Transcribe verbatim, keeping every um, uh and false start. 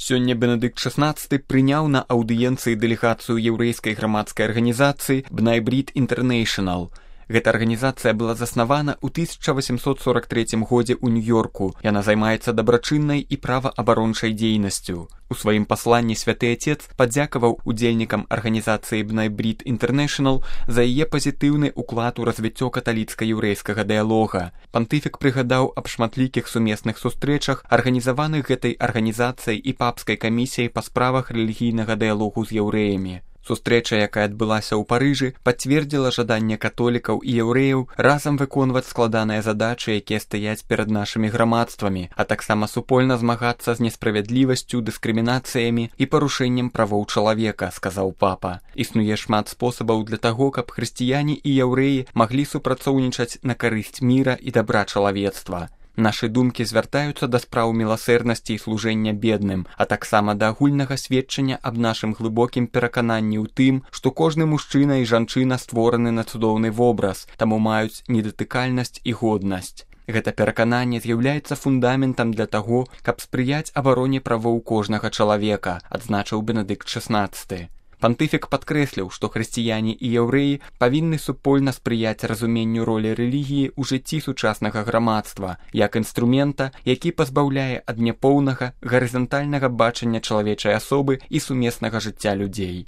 Сёння Бенедыкт шаснаццаты прыняў на аўдыенцыі дэлегацыю яўрэйскай грамадскай арганізацыі B'nai B'rith International. Гэта арганізацыя была заснавана ў тысяча восемьсот сорок третьем годзе ў Нью-Йорку. Яна займаецца дабрачыннай і праваабарончай дзейнасцю. У сваім пасланні святы Отец падзякаваў удзельнікам арганізацыі B'nai B'rith International за яе пазітыўны ўклад у развіццё каталіцка-яўрэйскага дыялога. Пантыфік прыгадаў аб шматлікіх сумесных сустрэчах, арганізаваных гэтай арганізацыяй і папскай камісіяй па справах рэлігійнага дыялогу з яўрэямі. Сустрэча, якая адбылася ў Парыжы, пацвердзіла жаданне католікаў і яўрэяў разам выконваць складаныя задачы, якія стаяць перад нашымі грамадствамі, а таксама супольна змагацца з несправядлівасцю, дыскрымінацыямі і парушэннем правоў чалавека, сказаў папа. Існуе шмат спосабаў для таго, каб хрысціяне і яўрэі маглі супрацоўнічаць на карысць міра і дабра чалавецтва. Нашы думкі звяртаюцца да спраў міласэрнасці і служэння бедным, а таксама да агульнага сведчання аб нашым глыбокім перакананні ў тым, што кожны мужчына і жанчына створаны на цудоўны вобраз, таму маюць недатыкальнасць і годнасць. Гэта перакананне з'яўляецца фундаментам для таго, каб спрыяць абароне правоў кожнага чалавека, адзначыў Бенедыкт шаснаццаты. Пантыфік падкрэсліў, што хрысціяне і яўрэі павінны супольна спрыяць разуменню ролі рэлігіі ў жыцці сучаснага грамадства, як інструмента, які пазбаўляе ад няпоўнага, гарызантальнага бачання чалавечай асобы і сумеснага жыцця людзей.